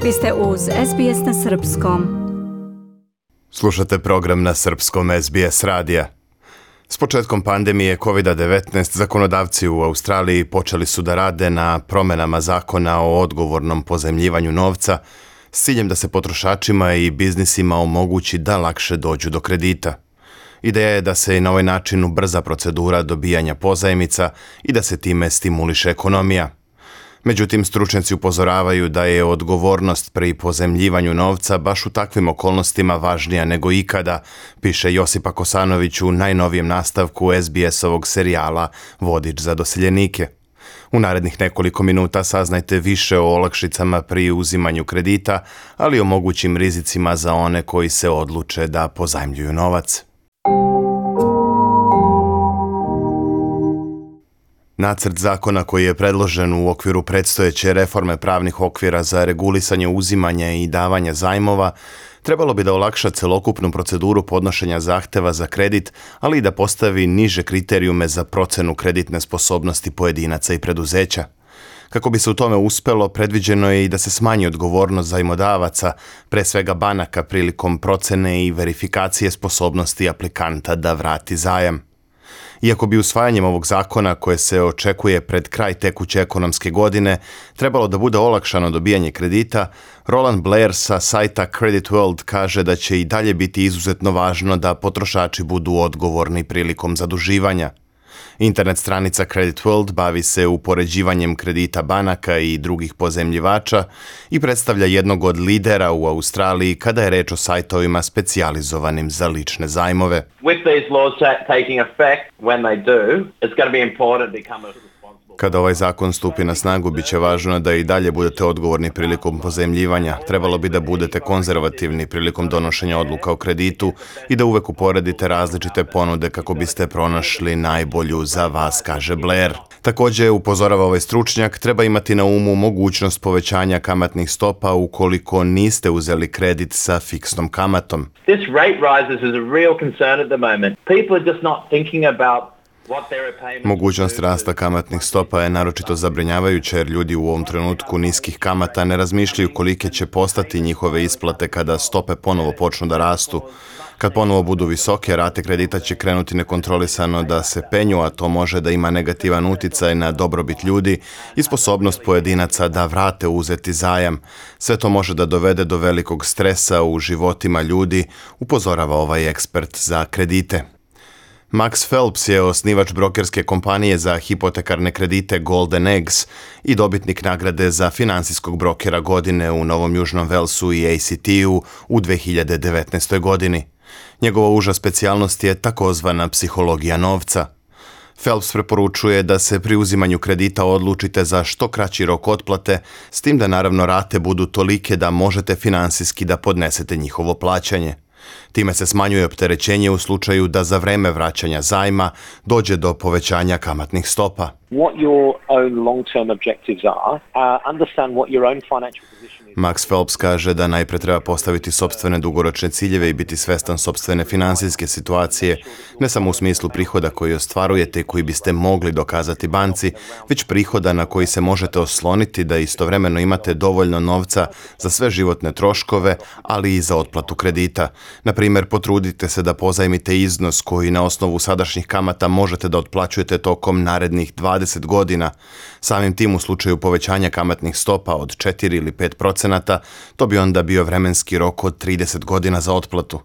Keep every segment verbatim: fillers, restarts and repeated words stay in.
Vi ste uz S B S na srpskom. Slušate program na srpskom S B S radija. S početkom pandemije kovid devetnaest zakonodavci u Australiji počeli su da rade na promjenama zakona o odgovornom pozajmljivanju novca s ciljem da se potrošačima i biznisima omogući da lakše dođu do kredita. Ideja je da se i na ovaj način ubrza procedura dobijanja pozajmica i da se time stimuliše ekonomija. Međutim, stručnjaci upozoravaju da je odgovornost pri pozajmljivanju novca baš u takvim okolnostima važnija nego ikada, piše Josipa Kosanović u najnovijem nastavku S B S-ovog serijala Vodič za doseljenike. U narednih nekoliko minuta saznajte više o olakšicama pri uzimanju kredita, ali i o mogućim rizicima za one koji se odluče da pozajmljuju novac. Nacrt zakona koji je predložen u okviru predstojeće reforme pravnih okvira za regulisanje uzimanja i davanja zajmova trebalo bi da olakša celokupnu proceduru podnošenja zahteva za kredit, ali i da postavi niže kriterijume za procenu kreditne sposobnosti pojedinaca i preduzeća. Kako bi se u tome uspelo, predviđeno je i da se smanji odgovornost zajmodavaca, pre svega banaka, prilikom procene i verifikacije sposobnosti aplikanta da vrati zajam. Iako bi usvajanjem ovog zakona, koje se očekuje pred kraj tekuće ekonomske godine, trebalo da bude olakšano dobijanje kredita, Roland Blair sa sajta Credit World kaže da će i dalje biti izuzetno važno da potrošači budu odgovorni prilikom zaduživanja. Internet stranica Credit World bavi se upoređivanjem kredita banaka i drugih pozajmljivača i predstavlja jednog od lidera u Australiji kada je reč o sajtovima specijalizovanim za lične zajmove. With these laws taking effect, when they do, it's going to be important to become a Kada ovaj zakon stupi na snagu, bit će važno da i dalje budete odgovorni prilikom pozajmljivanja. Trebalo bi da budete konzervativni prilikom donošenja odluka o kreditu i da uvek uporedite različite ponude kako biste pronašli najbolju za vas, kaže Blair. Također, upozorava ovaj stručnjak, treba imati na umu mogućnost povećanja kamatnih stopa ukoliko niste uzeli kredit sa fiksnom kamatom. This rate rises is a real concern at the moment. People are just not thinking about Mogućnost rasta kamatnih stopa je naročito zabrinjavajuća jer ljudi u ovom trenutku niskih kamata ne razmišljaju kolike će postati njihove isplate kada stope ponovo počnu da rastu. Kad ponovo budu visoke, rate kredita će krenuti nekontrolisano da se penju, a to može da ima negativan uticaj na dobrobit ljudi i sposobnost pojedinaca da vrate uzeti zajam. Sve to može da dovede do velikog stresa u životima ljudi, upozorava ovaj ekspert za kredite. Max Phelps je osnivač brokerske kompanije za hipotekarne kredite Golden Eggs i dobitnik nagrade za finansijskog brokera godine u Novom Južnom Velsu i A C T-u u dve hiljade devetnaestoj. godini. Njegova uža specijalnost je takozvana psihologija novca. Phelps preporučuje da se pri uzimanju kredita odlučite za što kraći rok otplate, s tim da naravno rate budu tolike da možete finansijski da podnesete njihovo plaćanje. Time se smanjuje opterećenje u slučaju da za vreme vraćanja zajma dođe do povećanja kamatnih stopa. What your own long-term objectives are, uh, understand what your own financial position is. Max Phelps kaže da najpre treba postaviti sopstvene dugoročne ciljeve i biti svestan sopstvene finansijske situacije, ne samo u smislu prihoda koji ostvarujete i koji biste mogli dokazati banci, već prihoda na koji se možete osloniti da istovremeno imate dovoljno novca za sve životne troškove, ali i za otplatu kredita. Na primjer, potrudite se da pozajmite iznos koji na osnovu sadašnjih kamata možete da otplaćujete tokom narednih dvadeset godina. Samim tim u slučaju povećanja kamatnih stopa od četiri ili pet procenata, to bi onda bio vremenski rok od trideset godina za otplatu.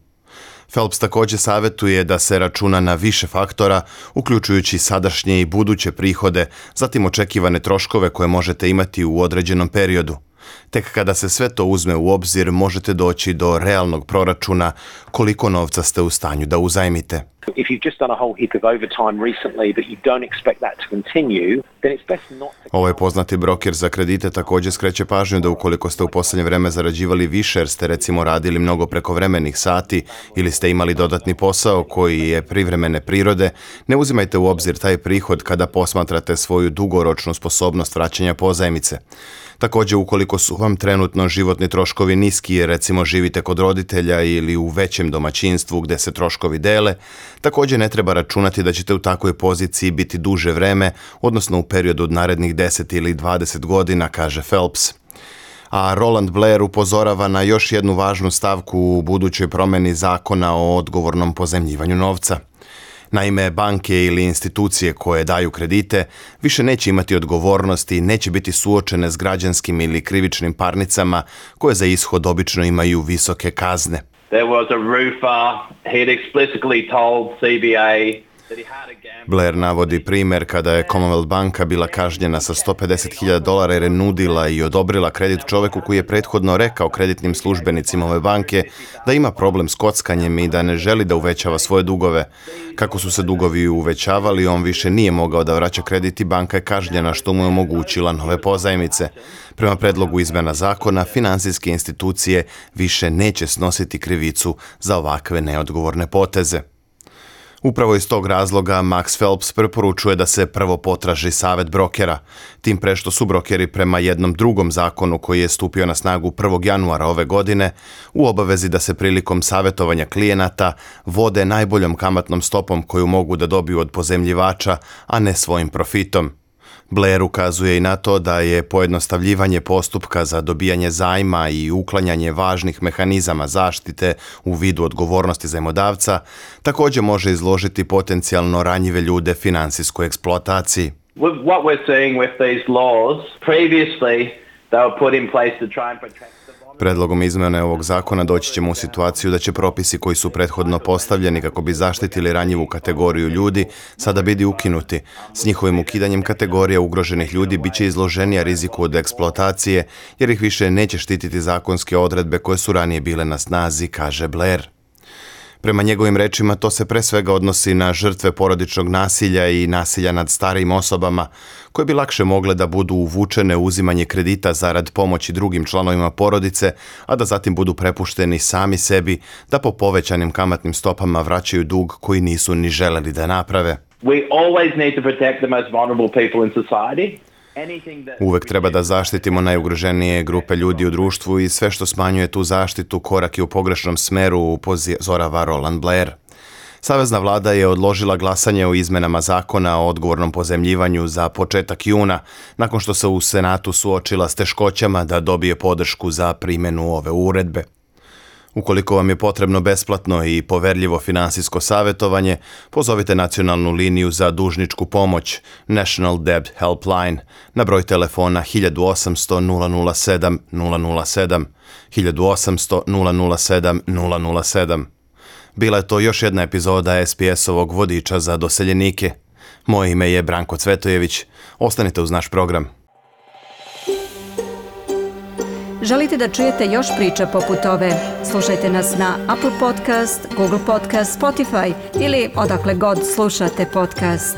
Phelps također savjetuje da se računa na više faktora, uključujući sadašnje i buduće prihode, zatim očekivane troškove koje možete imati u određenom periodu. Tek kada se sve to uzme u obzir, možete doći do realnog proračuna koliko novca ste u stanju da uzajmite. If you've just done a whole heap of overtime recently but you don't expect that to continue, then it's best not to... Ovaj poznati broker za kredite također skreće pažnju da ukoliko ste u posljednje vreme zarađivali više jer ste recimo radili mnogo prekovremenih sati ili ste imali dodatni posao koji je privremene prirode, ne uzimajte u obzir taj prihod kada posmatrate svoju dugoročnu sposobnost vraćanja pozajmice. Također, ukoliko su vam trenutno životni troškovi niski jer recimo živite kod roditelja ili u većem domaćinstvu gdje se troškovi dele, također ne treba računati da ćete u takvoj poziciji biti duže vreme, odnosno u periodu od narednih deset ili dvadeset godina, kaže Phelps. A Roland Blair upozorava na još jednu važnu stavku u budućoj promjeni zakona o odgovornom pozajmljivanju novca. Naime, banke ili institucije koje daju kredite više neće imati odgovornosti i neće biti suočene s građanskim ili krivičnim parnicama koje za ishod obično imaju visoke kazne. There was a roofer, he'd explicitly told C B A that he had a gambling... Blair navodi primjer kada je Commonwealth banka bila kažnjena sa sto pedeset hiljada dolara jer je nudila i odobrila kredit čovjeku koji je prethodno rekao kreditnim službenicima ove banke da ima problem s kockanjem i da ne želi da uvećava svoje dugove. Kako su se dugovi uvećavali, on više nije mogao da vraća kredit i banka je kažnjena što mu je omogućila nove pozajmice. Prema predlogu izmjena zakona, financijske institucije više neće snositi krivicu za ovakve neodgovorne poteze. Upravo iz tog razloga Max Phelps preporučuje da se prvo potraži savjet brokera, tim pre što su brokeri prema jednom drugom zakonu koji je stupio na snagu prvog januara ove godine u obavezi da se prilikom savjetovanja klijenata vode najboljom kamatnom stopom koju mogu da dobiju od pozajmljivača, a ne svojim profitom. Blair ukazuje i na to da je pojednostavljivanje postupka za dobijanje zajma i uklanjanje važnih mehanizama zaštite u vidu odgovornosti zajmodavca također može izložiti potencijalno ranjive ljude finansijskoj eksploataciji. With what we're seeing with these laws, previously they were put in place to try and protect the bond. Predlogom izmjene ovog zakona doći ćemo u situaciju da će propisi koji su prethodno postavljeni kako bi zaštitili ranjivu kategoriju ljudi sada biti ukinuti. S njihovim ukidanjem kategorija ugroženih ljudi bit će izloženija riziku od eksploatacije jer ih više neće štititi zakonske odredbe koje su ranije bile na snazi, kaže Blair. Prema njegovim rečima to se pre svega odnosi na žrtve porodičnog nasilja i nasilja nad starijim osobama, koje bi lakše mogle da budu uvučene u uzimanje kredita zarad pomoći drugim članovima porodice, a da zatim budu prepušteni sami sebi da po povećanim kamatnim stopama vraćaju dug koji nisu ni želeli da naprave. We always need to protect the most vulnerable people in society. Uvek treba da zaštitimo najugroženije grupe ljudi u društvu i sve što smanjuje tu zaštitu korak je u pogrešnom smeru, upozorava Roland Blair. Savezna vlada je odložila glasanje o izmenama zakona o odgovornom pozajmljivanju za početak juna, nakon što se u Senatu suočila s teškoćama da dobije podršku za primjenu ove uredbe. Ukoliko vam je potrebno besplatno i poverljivo finansijsko savjetovanje, pozovite nacionalnu liniju za dužničku pomoć National Debt Helpline na broj telefona hiljadu osamsto nula nula sedam nula nula sedam, hiljadu osamsto nula nula sedam nula nula sedam. Bila je to još jedna epizoda S B S-ovog vodiča za doseljenike. Moje ime je Branko Cvetojević. Ostanite uz naš program. Želite da čujete još priča poput ove? Slušajte nas na Apple Podcast, Google Podcast, Spotify ili odakle god slušate podcast.